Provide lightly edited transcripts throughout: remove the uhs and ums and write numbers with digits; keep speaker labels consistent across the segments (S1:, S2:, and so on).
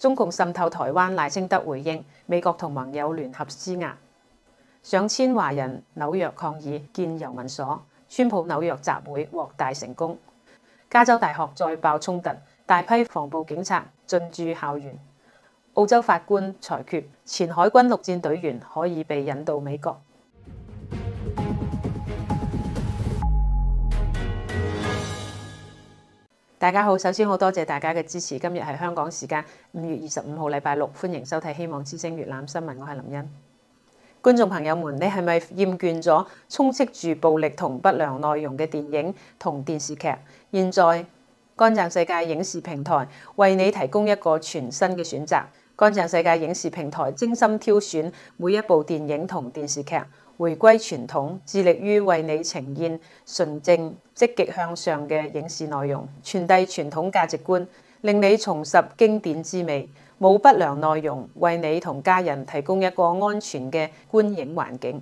S1: 中共滲透台灣，賴清德回應，美國同盟友聯合施壓。上千華人紐約抗議建郵民所，川普紐約集會獲大成功。加州大學再爆衝突，大批防暴警察進駐校園。澳洲法官裁決，前海軍陸戰隊員可以被引渡美國。大家好，首先好多謝大家嘅支持。今日係香港時間5月25號禮拜六，歡迎收睇希望之聲粵覽新聞，我係林茵。觀眾朋友們，你係咪厭倦咗充斥住暴力同不良內容嘅電影同電視劇？現在乾淨世界影視平台為你提供一個全新嘅選擇。乾淨世界影視平台精心挑選每一部電影同電視劇，回歸傳統，致力於為你呈現純正、積極向上嘅影視內容，傳遞傳統價值觀，令你重拾經典之味。冇不良內容，為你同家人提供一個安全嘅觀影環境。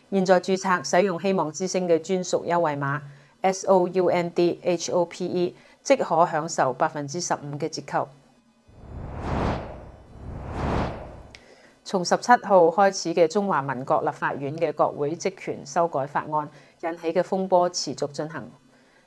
S1: 現在註冊使用希望之聲嘅專屬優惠碼 SOUNDHOPE， 即可享受15%嘅折扣。從17號開始嘅中華民國立法院嘅國會職權修改法案引起嘅風波持續進行。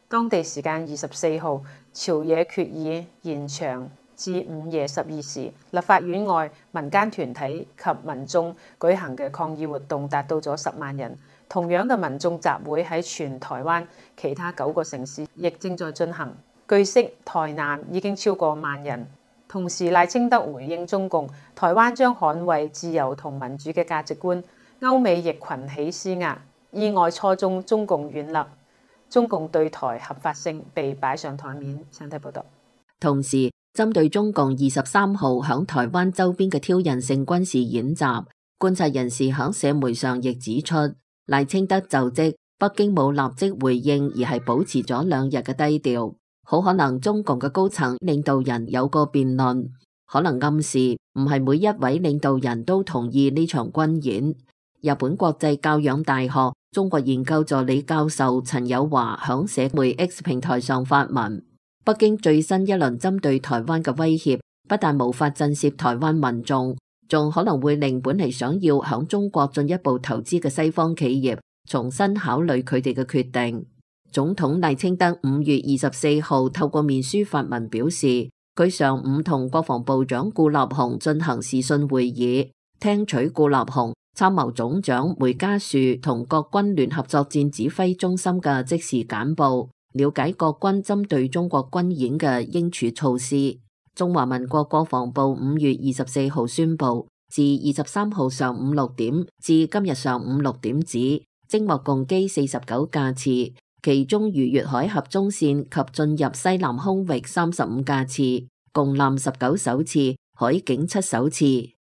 S1: 當地時間24號，朝野決議延長至午夜12時，立法院外民間團體及民眾舉行嘅抗議活動達到咗10萬人。同樣嘅民眾集會喺全台灣其他9個城市亦正在進行。據悉，台南已經超過1萬人。同時，賴清德回應中共，台灣將捍衛自由同民主嘅價值觀。歐美亦群起施壓，意外錯中中共軟肋，中共對台合法性被擺上台面。請睇報道。
S2: 同時，針對中共23號響台灣周邊嘅挑釁性軍事演習，觀察人士響社媒上亦指出，賴清德就職，北京冇立即回應，而係保持咗2日嘅低調。好可能中共嘅高層領導人有個辯論，可能暗示唔係每一位領導人都同意呢場軍演。日本國際教養大學中國研究助理教授陳友華響社媒 X 平台上發文，北京最新一輪針對台灣嘅威脅，不但無法震懾台灣民眾，仲可能會令本嚟想要響中國進一步投資嘅西方企業重新考慮佢哋嘅決定。總統賴清德5月24號透過面書發文表示，佢上午同國防部長顧立雄進行視訊會議，聽取顧立雄參謀總長梅家樹同國軍聯合作戰指揮中心嘅即時簡報，了解國軍針對中國軍演嘅應處措施。中華民國國防部5月24號宣布，自23號上午6點至今日上午6點止，偵獲共機49架次。其中逾越海峽中線及進入西南空域35架次，共艦19艘次，海警7艘次，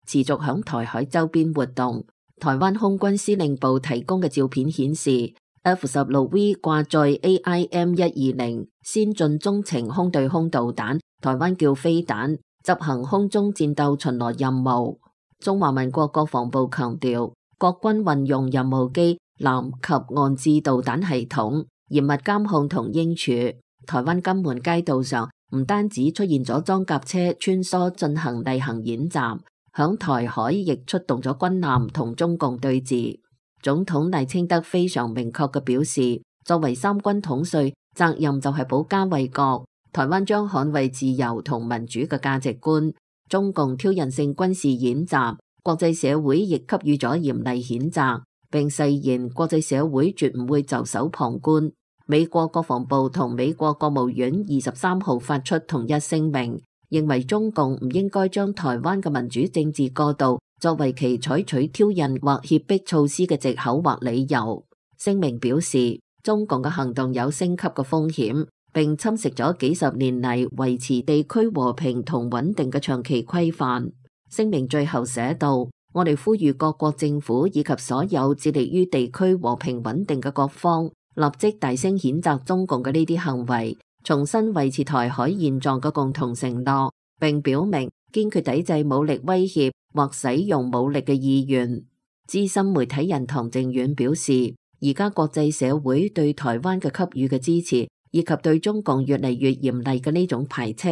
S2: 持續響台海周邊活動。台灣空軍司令部提供嘅照片顯示 ，F-16V 掛載 AIM-120 先進中程空對空導彈，台灣叫飛彈，執行空中戰鬥巡邏任務。中華民國國防部強調，國軍運用任務機、艦及岸置導彈系統，嚴密監控同應處。台灣金門街道上唔單止出現咗裝甲車穿梭進行例行演習，響台海亦出動咗軍艦同中共對峙。總統賴清德非常明確嘅表示，作為三軍統帥，責任就係保家衛國，台灣將捍衛自由同民主嘅價值觀。中共挑釁性軍事演習，國際社會亦給予咗嚴厲譴責，並誓言國際社會絕唔會袖手旁觀。美國國防部同美國國務院23號發出同一聲明，認為中共唔應該將台灣嘅民主政治過渡作為其採取挑釁或脅迫措施嘅藉口或理由。聲明表示，中共嘅行動有升級嘅風險，並侵蝕咗幾十年嚟維持地區和平同穩定嘅長期規範。聲明最後寫道：我哋呼籲各國政府以及所有致力於地區和平穩定嘅各方，立即大聲譴責中共嘅呢啲行為，重新維持台海現狀嘅共同承諾，並表明堅決抵制武力威脅或使用武力嘅意願。資深媒體人唐靖遠表示，而家國際社會對台灣嘅給予嘅支持，以及對中共越嚟越嚴厲嘅呢種排斥，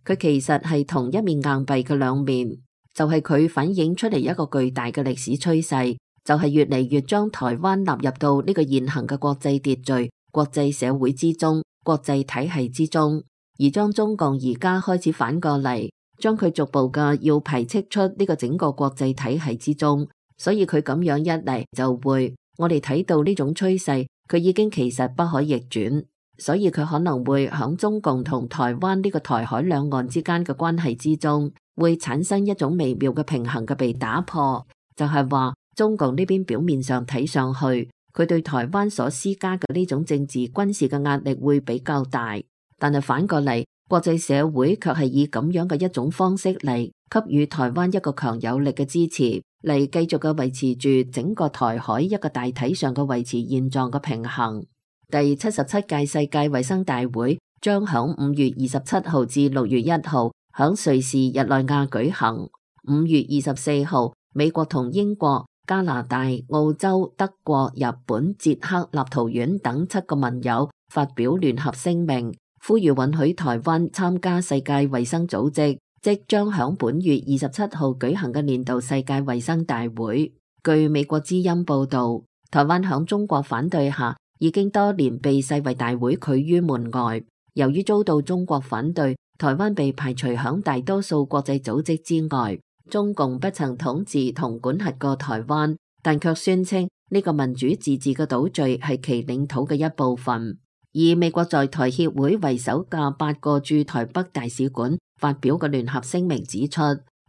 S2: 佢其實係同一面硬幣嘅兩面，就係佢反映出嚟一個巨大嘅歷史趨勢，就係越嚟越將台灣納入到呢個現行嘅國際秩序、國際社會之中、國際體系之中，而將中共而家開始反過嚟，將佢逐步嘅要排斥出呢個整個國際體系之中。所以佢咁樣一嚟就會，我哋睇到呢種趨勢，佢已經其實不可逆轉，所以佢可能會響中共同台灣呢個台海兩岸之間嘅關係之中，會產生一種微妙嘅平衡嘅被打破，就係話中共呢邊表面上睇上去，佢對台灣所施加嘅呢種政治軍事嘅壓力會比較大，但係反過嚟，國際社會卻係以咁樣嘅一種方式嚟給予台灣一個強有力嘅支持，嚟繼續嘅維持住整個台海一個大體上嘅維持現狀嘅平衡。第77屆世界衛生大會將響5月27號至6月1號響瑞士日內瓦舉行。5月24號，美國同英國、加拿大、澳洲、德國、日本、捷克、立陶宛等7個盟友發表聯合聲明，呼籲允許台灣參加世界衛生組織即將響本月27號舉行嘅年度世界衛生大會。據美國之音報道，台灣響中國反對下，已經多年被世衛大會拒於門外。由於遭到中國反對，台灣被排除響大多數國際組織之外。中共不曾統治同管轄過台灣，但卻宣稱呢個民主自治嘅島嶼係其領土嘅一部分。以美國在台協會為首嘅8個駐台北大使館發表嘅聯合聲明指出，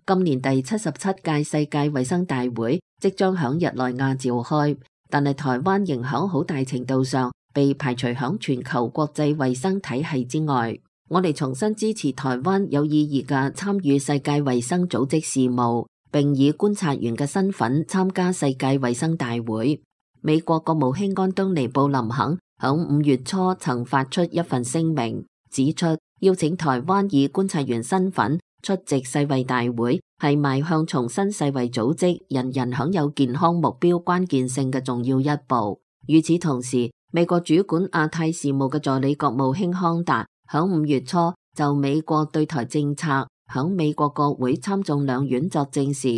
S2: 今年第77屆世界衛生大會即將響日內瓦召開，但係台灣仍響好大程度上被排除響全球國際衛生體系之外。我哋重新支持台灣有意義嘅參與世界衛生組織事務，並以觀察員嘅身份參加世界衛生大會。美國國務卿安東尼布林肯響5月初曾發出一份聲明，指出邀請台灣以觀察員身份出席世衛大會係邁向重申世衛組織人人享有健康目標關鍵性嘅重要一步。與此同時，美國主管亞太事務嘅助理國務卿康達響5月初就美國對台政策響美國國會參眾兩院作證時，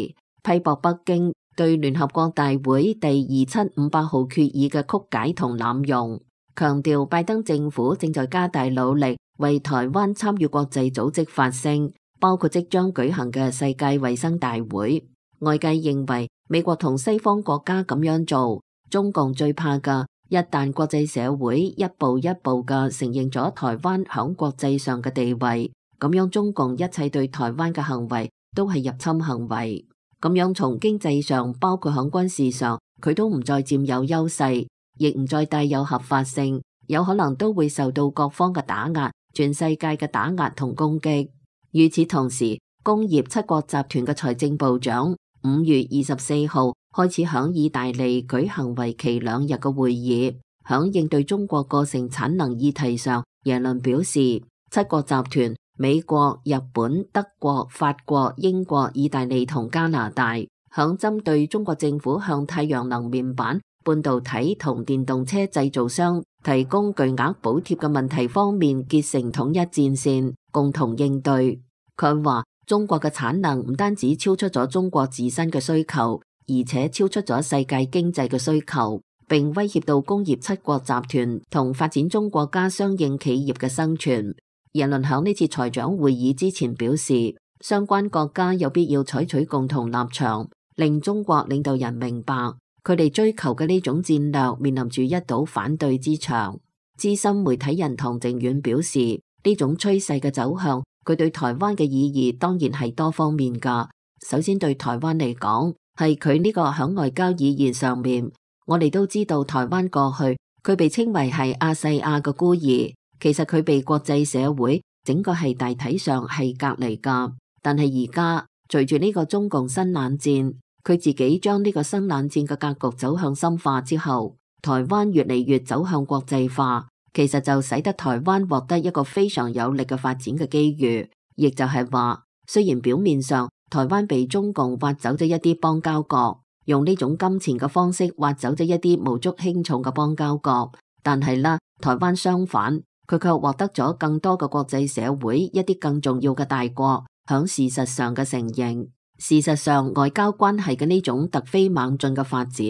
S2: 批駁北京對聯合國大會第2758號決議嘅曲解同濫用，強調拜登政府正在加大努力為台灣參與國際組織發聲，包括即將舉行嘅世界衛生大會。外界認為美國同西方國家咁樣做，中共最怕嘅，一旦國際社會一步一步嘅承認咗台灣響國際上嘅地位，咁樣中共一切對台灣嘅行為都係入侵行為。咁樣從經濟上，包括響軍事上，佢都唔再佔有優勢，亦唔再帶有合法性，有可能都會受到各方嘅打壓，全世界嘅打壓同攻擊。與此同時，工業七國集團嘅財政部長5月24號開始響意大利舉行為期2日嘅會議，響應對中國過剩產能議題上，耶倫表示，七國集團美國、日本、德國、法國、英國、意大利同加拿大響針對中國政府向太陽能面板、半導體同電動車製造商提供巨額補貼嘅問題方面結成統一戰線，共同應對。佢話中國嘅產能唔單止超出咗中國自身嘅需求，而且超出咗世界經濟嘅需求，並威脅到工業七國集團同發展中國家相應企業嘅生存。耶倫響呢次財長會議之前表示，相關國家有必要採取共同立場，令中國領導人明白佢哋追求嘅呢種戰略面臨住一堵反對之牆。資深媒體人唐靖遠表示，呢種趨勢嘅走向，佢對台灣嘅意義當然係多方面㗎。首先對台灣嚟講，係佢呢個響外交意義上面，我哋都知道台灣過去佢被稱為係亞細亞嘅孤兒，其實佢被國際社會整個係大體上係隔離㗎。但係而家隨住呢個中共新冷戰，佢自己將呢個新冷戰嘅格局走向深化之後，台灣越嚟越走向國際化，其實就使得台灣獲得一個非常有力嘅發展嘅機遇，亦就係話，雖然表面上台灣被中共挖走咗一啲邦交國，用呢種金錢嘅方式挖走咗一啲無足輕重嘅邦交國，但係啦，台灣相反，佢卻獲得咗更多嘅國際社會一啲更重要嘅大國響事實上嘅承認。事實上，外交關係嘅呢種突飛猛進嘅發展，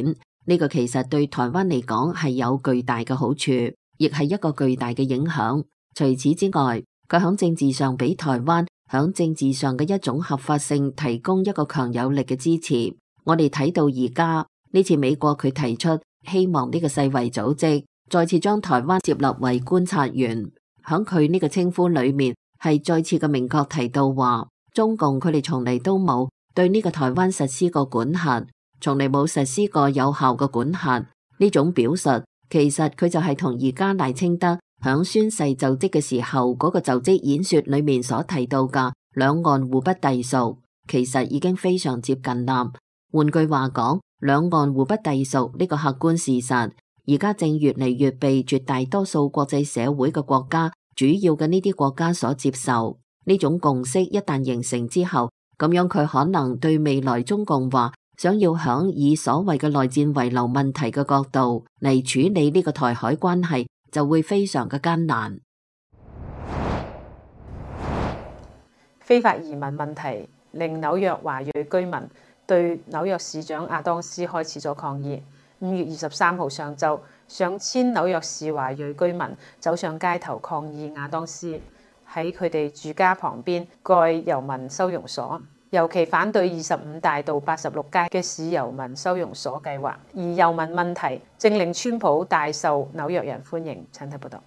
S2: 呢個其實對台灣嚟講係有巨大嘅好處，亦係一個巨大嘅影響。除此之外，佢響政治上俾台灣響政治上嘅一種合法性提供一個強有力嘅支持。我哋睇到而家呢次美國佢提出希望呢個世衛組織再次將台灣接納為觀察員，響佢呢個稱呼裏面係再次嘅明確提到話，中共佢哋從嚟都冇對呢個台灣實施過管轄，從嚟冇實施過有效嘅管轄。呢種表述其實佢就係同而家賴清德響宣誓就職嘅時候嗰個就職演說裏面所提到嘅兩岸互不隸屬，其實已經非常接近啦。換句話講，兩岸互不隸屬呢個客觀事實，而家正越嚟越被絕大多數國際社會嘅國家，主要嘅呢啲國家所接受。呢種共識一旦形成之後，咁樣佢可能對未來中共話想要響以所謂嘅內戰遺留問題嘅角度嚟處理呢個台海關係，就會非常嘅艱難。
S1: 非法移民問題令紐約華裔居民對紐約市長亞當斯開始咗抗議。5月23號上晝，上千紐約市華裔居民走上街頭抗議亞當斯喺佢哋住家旁邊蓋遊民收容所，尤其反對25大道86街嘅市遊民收容所計劃。而遊民問題正令川普大受紐約人歡迎。請睇報道。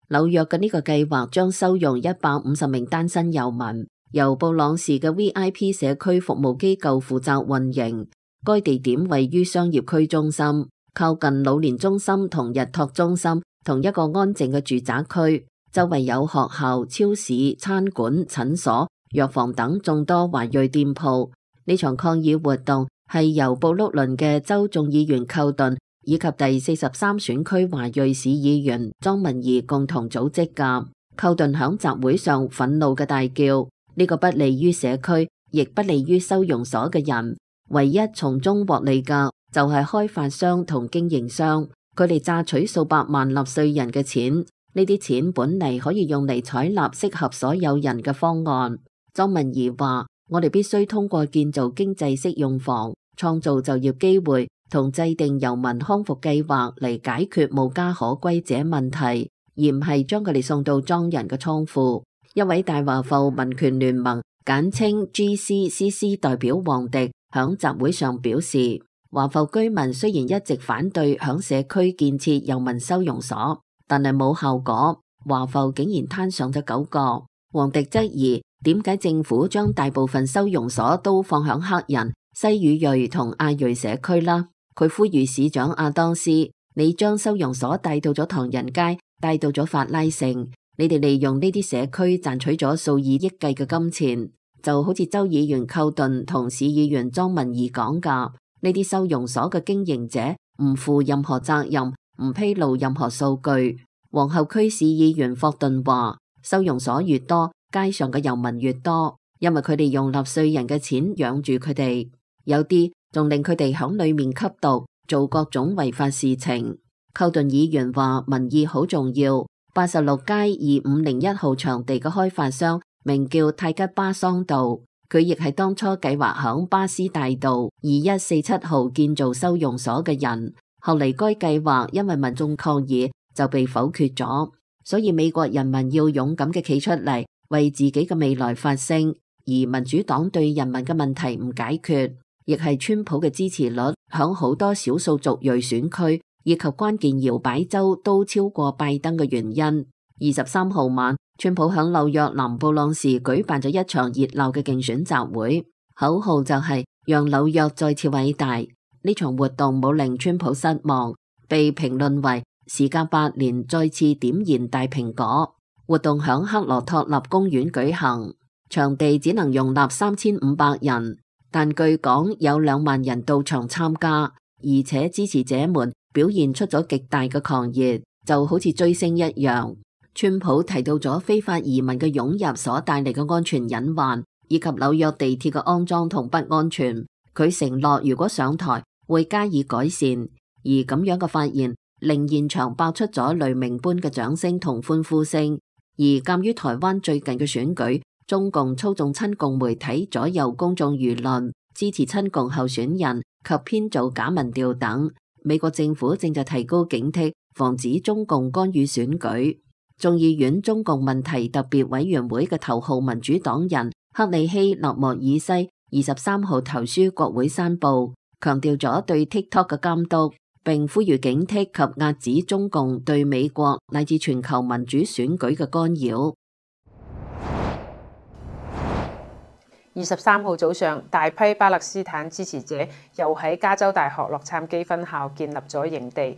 S2: 紐約嘅呢個計劃將收容150名單身遊民，由布朗士嘅 VIP 社區服務機構負責運營。該地點位於商業區中心，靠近老年中心同日托中心，同一個安靜嘅住宅區。周圍有學校、超市、餐館、診所、藥房等眾多華裔店鋪。呢場抗議活動係由布魯倫嘅州眾議員寇頓以及第43選區華裔市議員莊文儀共同組織㗎。寇頓響集會上憤怒嘅大叫：呢個不利於社區，亦不利於收容所嘅人。唯一從中獲利嘅就係開發商同經營商，佢哋榨取數百萬納稅人嘅錢。呢啲錢本嚟可以用嚟採納適合所有人嘅方案。莊文儀話：我哋必須通過建造經濟適用房、創造就業機會同制定遊民康復計劃嚟解決無家可歸者問題，而唔係將佢哋送到莊人嘅倉庫。一位大華埠民權聯盟簡稱 GCCC 代表黃迪響集會上表示，華埠居民雖然一直反對響社區建設遊民收容所，但係冇效果。華埠竟然攤上咗9個。黃迪質疑點解政府將大部分收容所都放響黑人、西語裔同亞裔社區啦。佢呼籲市長亞當斯，你將收容所帶到咗唐人街，帶到咗法拉盛，你哋利用呢啲社區賺取咗數以億計嘅金錢，就好似州議員寇頓同市議員莊文儀講㗎，呢啲收容所嘅經營者唔負任何責任，唔披露任何數據。皇后區市議員霍頓話：收容所越多，街上嘅遊民越多，因為佢哋用納稅人嘅錢養住佢哋，有啲仲令佢哋響裏面吸毒，做各種違法事情。寇頓議員話：民意好重要。86街2501號場地嘅開發商名叫泰吉巴桑道，佢亦係當初計劃響巴斯大道2147號建造收容所嘅人。後嚟該計劃因為民眾抗議就被否決咗，所以美國人民要勇敢嘅企出嚟，為自己嘅未來發聲。而民主黨對人民嘅問題唔解決，亦係川普嘅支持率響好多少數族裔選區以及關鍵搖擺州都超過拜登嘅原因。23號晚，川普響紐約南布朗士舉辦咗一場熱鬧嘅競選集會，口號就係讓紐約再次偉大。呢場活動冇令川普失望，被評論為時隔8年再次點燃大蘋果。活動響克羅托納公園舉行，場地只能容納3500人，但據講有2萬人到場參加，而且支持者們表現出咗極大嘅狂熱，就好似追星一樣。川普提到咗非法移民嘅湧入所帶嚟嘅安全隱患，以及紐約地鐵嘅骯髒同不安全。佢承諾如果上台會加以改善，而咁樣嘅發言令現場爆出咗雷鳴般嘅掌聲同歡呼聲。而鑑於台灣最近嘅選舉，中共操縱親共媒體左右公眾輿論，支持親共候選人及編造假民調等，美國政府正在提高警惕，防止中共干預選舉。眾議院中共問題特別委員會嘅頭號民主黨人克里希納莫爾西23號投書國會山報，強調咗對 TikTok 嘅監督，並呼籲警惕及遏止中共對美國乃至全球民主選舉嘅干擾。
S1: 23號早上，大批巴勒斯坦支持者又喺加州大學洛杉磯分校建立咗營地，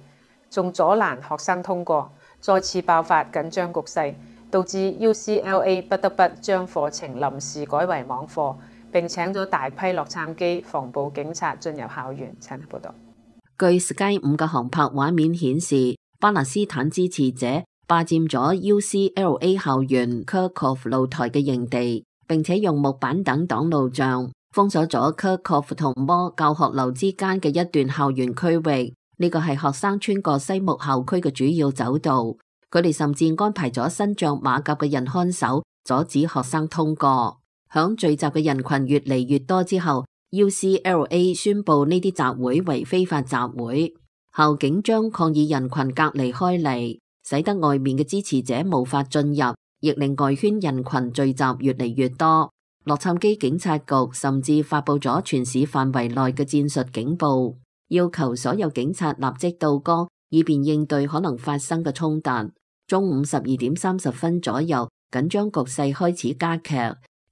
S1: 仲阻攔學生通過，再次爆發緊張局勢，導致 UCLA 不得不將課程臨時改為網課，並請咗大批洛杉磯防暴警察進入校園。請你報道。
S2: 據 Sky 5嘅航拍畫面顯示，巴勒斯坦支持者霸佔咗 UCLA 校園 Kerkhoff 露台嘅營地，並且用木板等擋路障封鎖咗 Kerkhoff 同摩教學樓之間嘅一段校園區域。呢個係學生穿過西木校區嘅主要走道。佢哋甚至安排咗身着馬甲嘅人看守，阻止學生通過。響聚集嘅人群越嚟越多之後，UCLA 宣布呢啲集會為非法集會，校警將抗議人群隔離開嚟，使得外面嘅支持者無法進入，亦令外圈人群聚集越嚟越多。洛杉磯警察局甚至發佈咗全市範圍內嘅戰術警報，要求所有警察立即到崗，以便應對可能發生嘅衝突。中午12:30左右，緊張局勢開始加劇。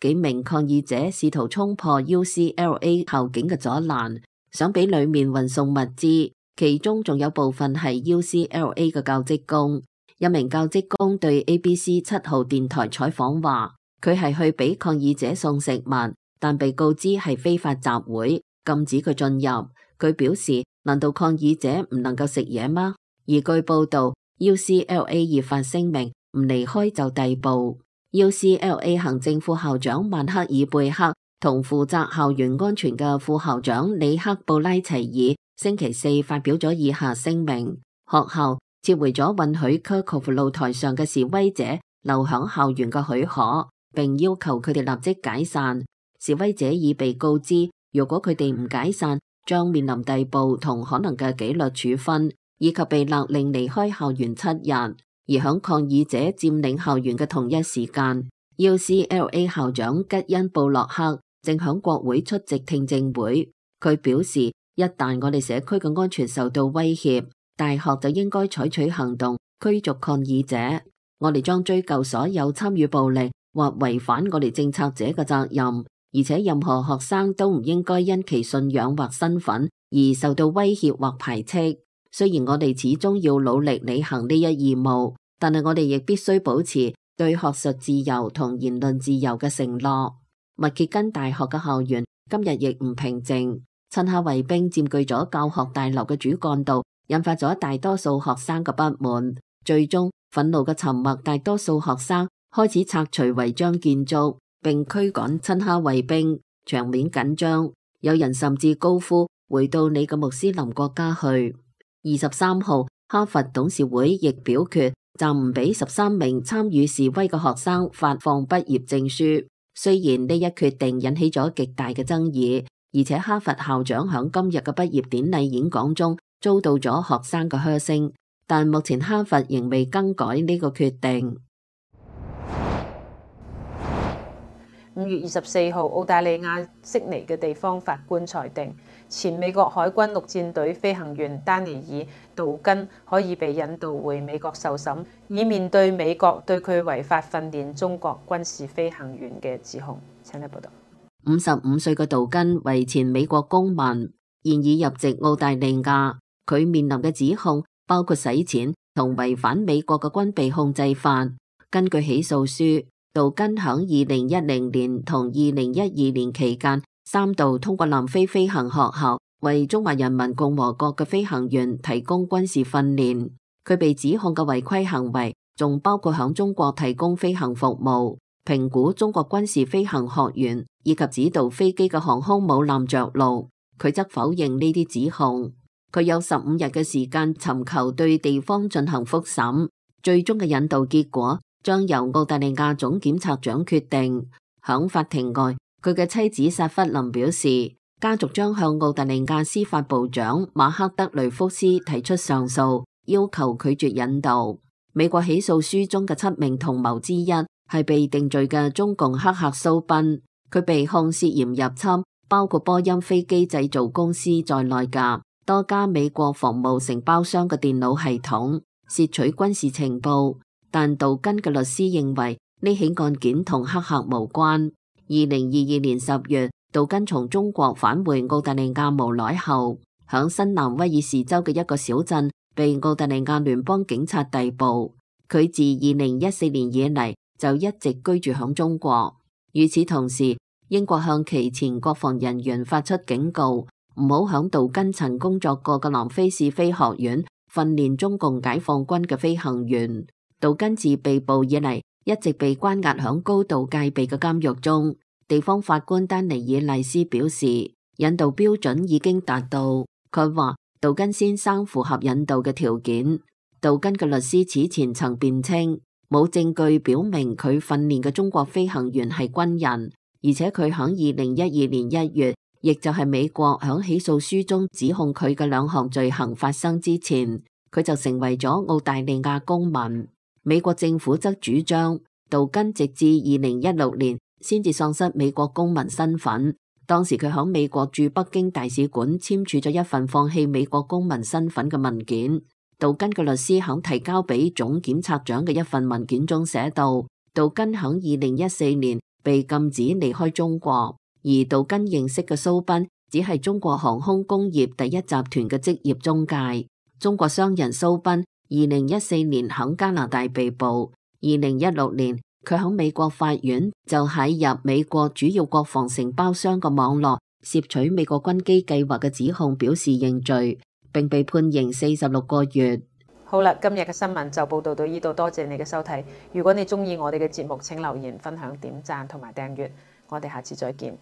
S2: 幾名抗議者試圖衝破 UCLA 校警嘅阻攔，想俾裏面運送物資，其中仲有部分係 UCLA 嘅教職工。一名教職工對 ABC 7號電台採訪話，佢係去俾抗議者送食物，但被告知係非法集會，禁止佢進入。佢表示，難道抗議者唔能夠食嘢嗎？而據報道， UCLA 已發聲明唔離開就逮捕。UCLA 行政副校長曼克爾貝克同負責校園安全嘅副校長里克布拉齊爾星期四發表咗以下聲明：學校撤回咗允許 Kerkhoff 露台上嘅示威者留響校園嘅許可，並要求佢哋立即解散。示威者已被告知，如果佢哋唔解散，將面臨逮捕同可能嘅紀律處分，以及被勒令離開校園7日。而響抗議者佔領校園嘅同一時間， UCLA 校長吉恩布洛克正響國會出席聽證會。佢表示，一旦我哋社區嘅安全受到威脅，大學就應該採取行動驅逐抗議者。我哋將追究所有參與暴力或違反我哋政策者嘅責任，而且任何學生都唔應該因其信仰或身份而受到威脅或排斥。雖然我哋始終要努力履行呢一義務，但係我哋亦必須保持對學術自由同言論自由嘅承諾。密歇根大學嘅校園今日亦唔平靜，趁下衛兵佔據咗教學大樓嘅主幹道，引發咗大多數學生嘅不滿。最終，憤怒嘅沉默大多數學生開始拆除違章建築，並驅趕親哈衛兵，場面緊張。有人甚至高呼：回到你嘅穆斯林國家去。23號，哈佛董事會亦表決暫唔俾13名參與示威嘅學生發放畢業證書。雖然呢一決定引起咗極大嘅爭議，而且哈佛校長響今日嘅畢業典禮演講中遭到咗學生嘅噓聲，但目前哈佛仍未更改呢個決定。
S1: 5月24號，澳大利亞悉尼嘅地方法官裁定，前美國海軍陸戰隊飛行員丹尼爾·杜根可以被引渡回美國受審，以面對美國對佢違法訓練中國軍事飛行員嘅指控。請你報道。
S2: 55歲嘅杜根為前美國公民，現已入籍澳大利亞。佢面臨嘅指控包括洗錢同違反美國嘅軍備控制法。根據起訴書，杜根響2010年同2012年期間3度通過南非飛行學校為中華人民共和國嘅飛行員提供軍事訓練。佢被指控嘅違規行為仲包括響中國提供飛行服務、評估中國軍事飛行學院以及指導飛機嘅航空母艦着陸。佢則否認呢啲指控。佢有15日嘅時間尋求對地方進行復審，最終嘅引渡結果將由澳大利亞總檢察長決定。響法庭外，佢嘅妻子薩弗林表示，家族將向澳大利亞司法部長馬克德雷福斯提出上訴，要求拒絕引渡。美國起訴書中嘅7名同謀之一係被定罪嘅中共黑客蘇賓，佢被控涉嫌入侵包括波音飛機製造公司在內嘅多家美國防務承包商嘅電腦系統，竊取軍事情報。但杜根嘅律師認為呢起案件同黑客無關。2022年10月，杜根從中國返回澳大利亞無耐後，響新南威爾士州嘅一個小鎮被澳大利亞聯邦警察逮捕。佢自2014年以嚟就一直居住響中國。與此同時，英國向其前國防人員發出警告，唔好響杜根曾工作過嘅南非市飛學院訓練中共解放軍嘅飛行員。杜根自被捕以嚟一直被關押響高度戒備嘅監獄中。地方法官丹尼爾麗斯表示，引渡標準已經達到。佢話杜根先生符合引渡嘅條件。杜根嘅律師此前曾辯稱，冇證據表明佢訓練嘅中國飛行員係軍人，而且佢響2012年1月，亦就係美國響起訴書中指控佢嘅2項罪行發生之前，佢就成為咗澳大利亞公民。美國政府則主張杜根直至2016年先至喪失美國公民身份。當時佢響美國駐北京大使館簽署咗一份放棄美國公民身份嘅文件。杜根嘅律師響提交俾總檢察長嘅一份文件中寫道，杜根響2014年被禁止離開中國，而杜根認識嘅蘇賓只係中國航空工業第一集團嘅職業中介。中國商人蘇賓2014年響加拿大被捕，2016年佢響美國法院就喺入美國主要國防承包商嘅網絡竊取美國軍機計劃嘅指控表示認罪，並被判刑46個月。
S1: 好啦，今日嘅新聞就報道到呢度，多謝你嘅收睇。如果你鍾意我哋嘅節目，請留言、分享、點讚同埋訂閱。我哋下次再見。